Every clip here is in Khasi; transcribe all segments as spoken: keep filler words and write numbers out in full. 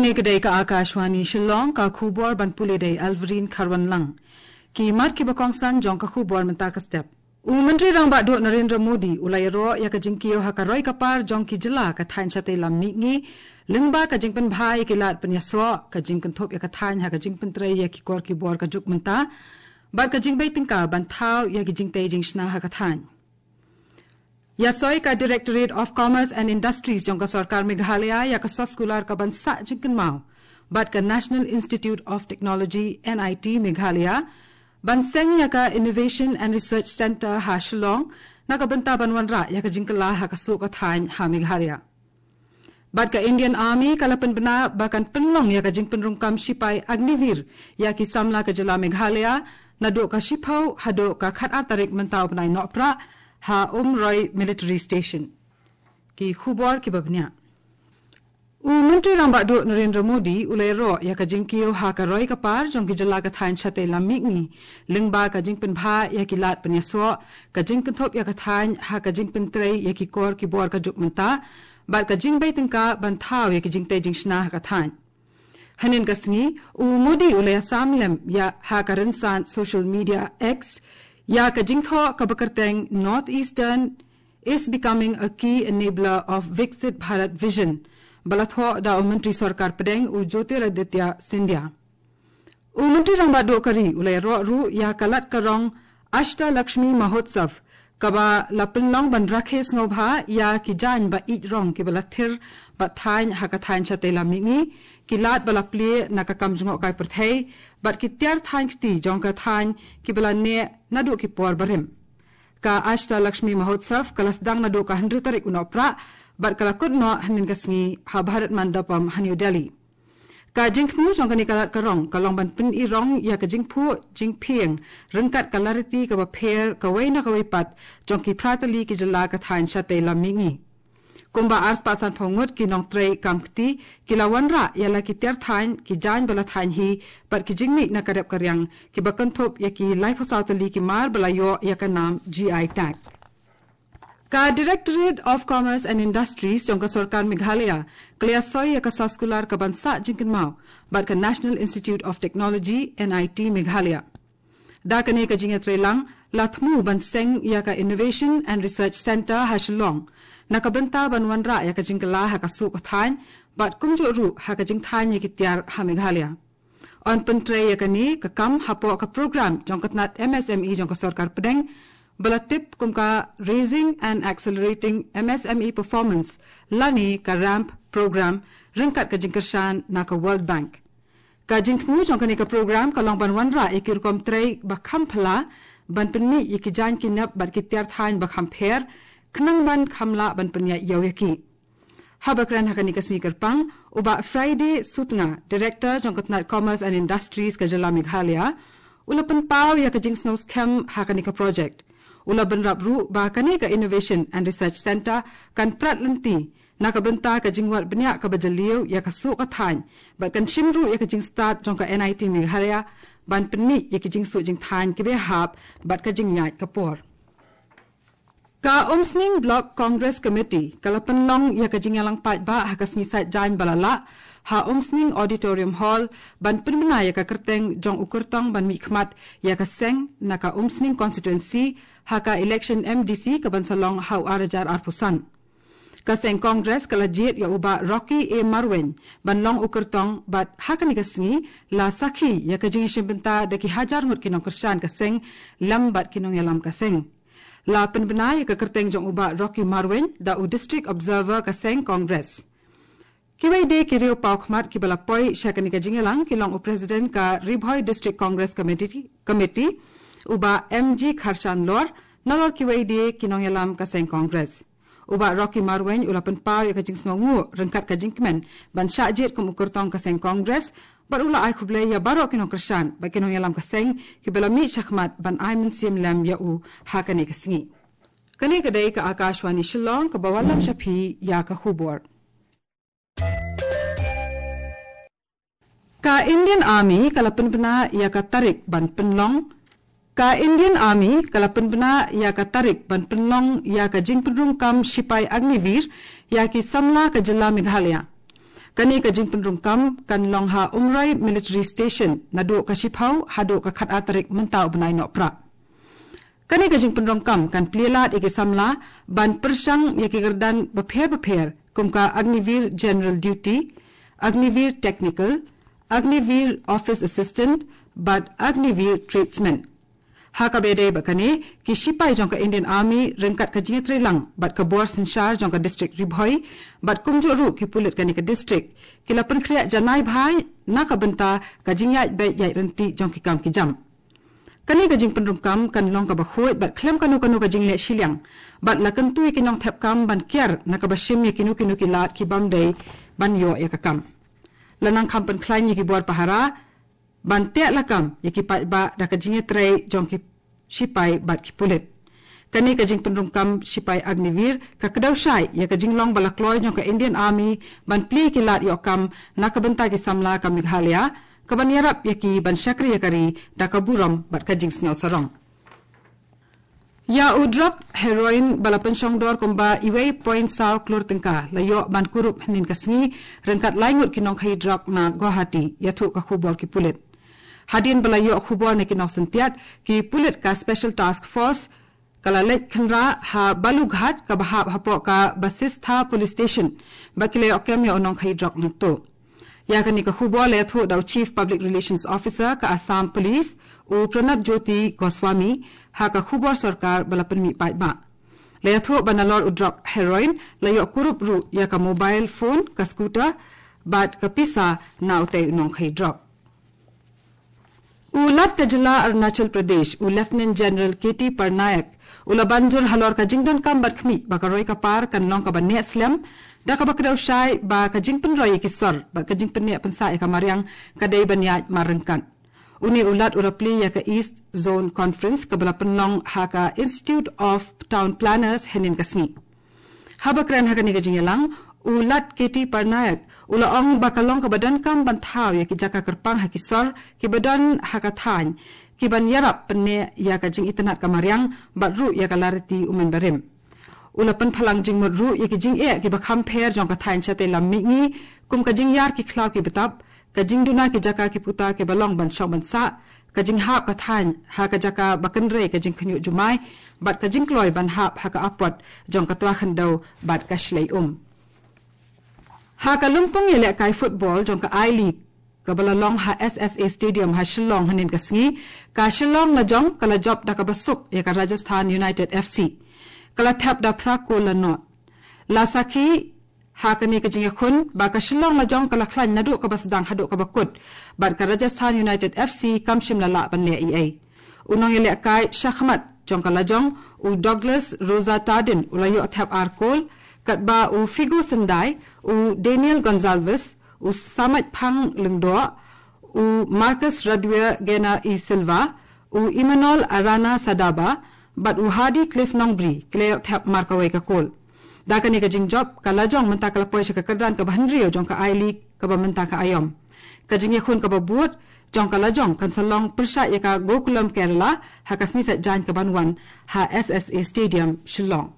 Kane ka dei ka Akashvani Shillong, ka khubor ban pule da i Alverine Kharwanlang. Ki mat kiba kongsan jong ka khubor mynta ka step. U Myntri Rangbah Duh Narendra Modi u la ïaroh ïa ka jingkiew ha ka roi ka par jong ki jylla ka thaiñ shatei lam mihngi, lyngba ka jingpynbha ïa ki lad pynïasoh, ka jingkynthup ïa ka thaiñ ha ka jingpyntrei ïa ki kor ki bor ka juk mynta, bad ka jingbei tyngka ban thaw ïa ki jingtei jingshna ha ka thaiñ. Ïasoi ka Directorate of Commerce and Industries jong ka Sorkar Meghalaya ïa ka soskular kaban sah jingkynmaw bad ka National Institute of Technology, N I T, Meghalaya ban seng ïa ka Innovation and Research Centre ha Shillong, na ka bynta ban wanrah ïa ka jingkylla ha ka suh ka thaiñ ha Meghalaya. Bad ka Indian Army ka la pynbna ba kan pynlong ïa ka jingpynrung kam shipai Agniveer ïa ki samla ka jylla Meghalaya, naduh ka shiphew haduh ka khatar tarik mynta u bnai Nohprah, ha Umroi Military Station. Ki khubor kiba bniah. U Myntri Rangbah Duh Narendra Modi u la ïaroh ïa ka jingkiew ha ka roi ka par jong ki jylla ka thaiñ shatei lam mihngi, lyngba ka jingpynbha ïa ki lad pynïasoh, ka jingkynthup ïa ka thaiñ ha ka jingpyntrei ïa ki kor ki bor ka juk mynta, bad ka jingbei tyngka ban thaw ïa ki jingtei jingshna ha ka thaiñ. Hynnin ka sngi, u Modi u la ïasam lem ïa ha ka rynsan social media X ïa ka jingthoh kaba kyrteng North Eastern is becoming a key enabler of Viksit Bharat Vision, ba la thoh da u Myntri Sorkar Pdeng u Jyotiraditya Scindia. U Myntri Rangbah Duh ka ri u la ïaroh ruh ïa ka lad ka rong Ashtalakshmi Mahotsav, kaba la pynlong ban rakhe sngewbha ïa ki jaiñ ba ïeit rong kiba la thir bad thaiñ ha ka thaiñ shatei lam mihngi, ki lad ba la plie na ka kam jngohkai pyrthei, bad ki tiar thaiñ kti jong ka thaiñ kiba la neh naduh ki por barim. Ka Ashtalakshmi Mahotsav ka la sdang naduh ka hynriew tarik u Nohprah, bad ka la kut noh hynnin ka sngi ha Bharat Mandapam ha New Delhi. Ka jingthmu jong kane ka lad ka rong ka long ban pynïarong ïa ka jingphuh jingphieng ryngkat ka lariti kaba pher kawei na kawei pat jong ki phra tylli ki jylla ka thaiñ shatei lam mihngi. Kumba arspah sanphew ngut ki nongtrei kam kti ki la wanrah ïa la ki tiar thaiñ, ki jaiñ ba la thaiñ hi, bad ki jingmih na ka rep ka riang kiba kynthup ïa ki laiphew saw tylli ki mar ba la ïoh ïa ka nam G I tag. Ka Directorate of Commerce and Industries jong ka Sorkar Meghalaya ka la ïasoi ïa ka soskular kaban sah jingkynmaw bad ka National Institute of Technology, N I T, Meghalaya. Da kane ka jingïatreilang, la thmu ban seng ïa ka Innovation and Research Centre ha Shillong, na ka bynta ban wanrah ïa ka jingkylla ha ka suh ka thaiñ, bad kumjuh ruh ha ka jingthaiñ ïa ki tiar ha Meghalaya. Yn pyntrei ïa kane ka kam hapoh ka program jong ka tnat M S M E jong ka Sorkar Pdeng, ba la tip kum ka Raising and Accelerating M S M E Performance, lane ka ramp program, ryngkat ka jingkyrshan na ka World Bank. Ka jingthmu jong kane ka program ka long ban wanrah ïa ki rukom trei ba kham phylla, ban pynmih ïa ki jaiñ ki nep bad ki tiar thaiñ ba kham pher, khnang ban kham lah ban pynïaid ïew ïa ki. Haba kren ha kane ka sngi kyrpang, u Bah Friday Sutnga, Director jong ka tnat Commerce and Industries ka jylla Meghalaya, u la pynpaw ïa ka jingsngew skhem ha kane ka project. U la bynrap ruh ba kane ka Innovation and Research Centre kan prat lynti na ka bynta ka jingwad bniah kaba jylliew ïa ka suh ka thaiñ, bad kan shim ruh ïa ka jingstad jong ka N I T Meghalaya ban pynmih ïa ki jingsuh jingthaiñ kiba ïahap bad ka jingïaid ka por. Ka Umsning Block Congress Committee ka la pynlong ïa ka jingïalang paidbah ha ka sngi Saitjaiñ ba la lah ha Umsning Auditorium Hall, ban pynbna ïa ka kyrteng jong u kyrtong ban mihkhmat ïa ka seng na ka Umsning Constituency ha ka election M D C kaban sa long ha u ar hajar arphew san. Ka seng Congress ka la jied ïa u Bah Rocky A Marwein ban long u kyrtong, bad ha kane ka sngi la sakhi ïa ka jingïashim bynta da ki hajar ngut ki nongkyrshan ka seng lem bad ki nongïalam ka seng. La pynbna ïa ka kyrteng jong u Bah Rocky Marwein da u District Observer ka seng Congress. Kiwei de ki riew paw khmat kiba la poi sha kane ka jingïalang ki long u President ka Ri Bhoi District Congress Committee, Committee, u Bah M G Kharshanlor, nalor kiwei de ki nongïalam ka seng Congress. U Bah Rocky Marwein u la pynpaw ïa ka jingsngewnguh ryngkat ka jingkmen ban shah jied kum u kyrtong ka seng Congress, bad u la ai khublei ïa baroh ki nongkyrshan bad ki nongïalam ka seng kiba la mih shakhmat ban ai mynsiem lem ïa u ha kane ka sngi. Kane ka dei ka Akashvani Shillong kaba wallam sha phi ïa ka khubor. Ka Indian Army ka la pynbna ïa ka tarik ban pynlong. Ka Indian Army ka la pynbna ïa ka tarik ban pynlong ïa ka jingpynrung kam shipai Agniveer ïa ki samla ka jylla Meghalaya. Kane ka jingpynrung kam kan long ha Umroi Military Station naduh ka shiphew haduh ka khatar tarik mynta u bnai Nohprah. Kane ka jingpynrung kam kan plie lad ïa ki samla ban pyrshang ïa ki kyrdan bapher bapher kum ka Agniveer General Duty, Agniveer Technical, Agniveer Office Assistant bad Agniveer Tradesman. Ha kaba ïadei bad kane, ki shipai jong ka Indian Army ryngkat ka jingïatreilang bad ka bor synshar jong ka district Ri Bhoi bad kumjuh ruh ki pulit kane ka district ki la pynkhreh janai bha na ka bynta ka jingïaid beit ïaid ryntih jong ki kam ki jam. Kane ka jingpynrung kam kan long kaba khuid bad khlem kano kano ka jingleh shiliang bad la kyntu ïa ki nongthep kam ban kiar na kaba shim ïa kino kino ki lad ki bym dei ban ïoh ïa ka kam. La nang kham pynkhlaiñ ïa ki bor pahara ban teh lakam ïa ki paidbah da ka jingïatrei jong ki shipai bad ki pulit. Kane ka jingpynrung kam shipai Agniveer ka kdew shai ïa ka jinglong ba la kloi jong ka Indian Army ban plie ïa ki lad ïoh kam na ka bynta ki samla ka Meghalaya, kaban ïarap ïa ki ban shakri ïa ka ri da ka burom bad ka jingsngew sarong. Ïa u drok heroin ba la pynshong dor kumba uwei point saw klur tyngka la ïoh ban kurup hynnin ka sngi ryngkat lai ngut ki nongkhaïi drok na Guwahati, ïathuh ka khubor ki pulit. Hadien ba la ïoh khubor na ki nongsyntiat, ki pulit ka Special Task Force ka la leit khynra ha Balughat kaba hap hapoh ka Basistha Police Station bad ki la ïoh kem ïa u nongkhaïi drok nangto. Ïa kane ka khubor la ïathuh da u Chief Public Relations Officer ka Assam Police, u Pranab Jyoti Goswami, ha ka khubor sorkar ba la pynmih paidbah. La ïathuh ba nalor u drok heroin la ïoh kurup ruh ïa ka mobile phone, ka scooter bad ka pisa na utei u nongkhaïi drok. U Lat ka jylla Arunachal Pradesh, u Lieutenant General K T Parnaik, u la ban jur halor ka jingdonkam bad khmih ba ka roi ka par kan long kaba neh slem da kaba kdew shai ba ka jingpynroi ïa ki sor bad ka jingpynneh pynsah ïa ka mariang ka dei ban ïaid marryngkat. Une u Lat u la plie ïa ka East Zone Conference kaba la pynlong ha ka Institute of Town Planners hynnin ka sngi. Haba kren ha kane ka jingïalang, u Lat K T Parnaik u la ong ba ka long kaba donkam ban thaw ïa ki jaka kyrpang ha ki sor kiba don ha ka thaiñ, kiban ïarap pynneh ïa ka jingitynnad ka mariang bad ruh ïa ka lariti u mynbarim. U la pynphalang jingmut ruh ïa ki jingeh kiba kham pher jong ka thaiñ shatei lam mihngi, kum ka jingïar ki khlaw ki btap, ka jingduna ki jaka ki puta kiba long ban shong ban sah, ka jinghap ka thaiñ ha ka jaka ba kynrei ka jingkhynñiuh jumai bad ka jingkloi ban hap ha ka apot jong ka twa khyndew bad ka shlei um. Ha ka lympung ïalehkai football jong ka I-League kaba la long ha S S A Stadium ha Shillong hynnin ka sngi, ka Shillong Lajong ka la jop da kaba suk ïa ka Rajasthan United F C. Ka la thep da phra kol la nod. La sakhi ha kane ka jingïakhun ba ka Shillong Lajong ka la khlaiñ naduh kaba sdang haduh kaba kut bad ka Rajasthan United F C kam shym la lah ban leh ei ei. U nongïalehkai shakhmat jong ka Lajong, u Douglas Rosa Tardin, u la ïoh thep ar kol, katba u Figo Syndai, u Daniel Gonzalez, u Samachphang Lyngdoh, u Marcus Radwia Gena e Silva, u Emmanuel Arana Sadaba bad u Hardy Cliff Nongbri ki la ïoh thep markawei ka kol. Da kane ka jingjop, ka Lajong mynta ka la poi sha ka kyrdan kaba hynriew jong ka I-League kaba mynta ka aïom. Ka jingïakhun kaba bud jong ka Lajong kan sa long pyrshah ïa ka Gokulam Kerala ha ka sngi Saitjaiñ kaban wan ha S S A Stadium, Shillong.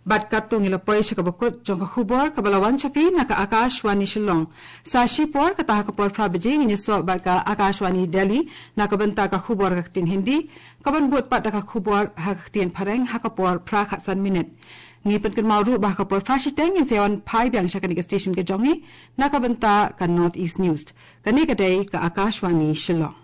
Bad katto ngi la poi sha kaba kut jong ka khubor kaba la wan sha phi na ka Akashvani Shillong. Sa shipor, kata ha ka por phra baje, ngin ïasoh bad ka Akashvani Delhi na ka bynta ka khubor ha ka ktien Hindi, kaban bud pat da ka khubor ha ka ktien Phareng ha ka por phra khatsan minit. Ngi pynkynmaw ruh ba ha ka por phra shiteng ngin sa wan phai biang sha kane ka station ka jong ngi na ka bynta ka North East News. Kane ka dei ka Akashvani Shillong.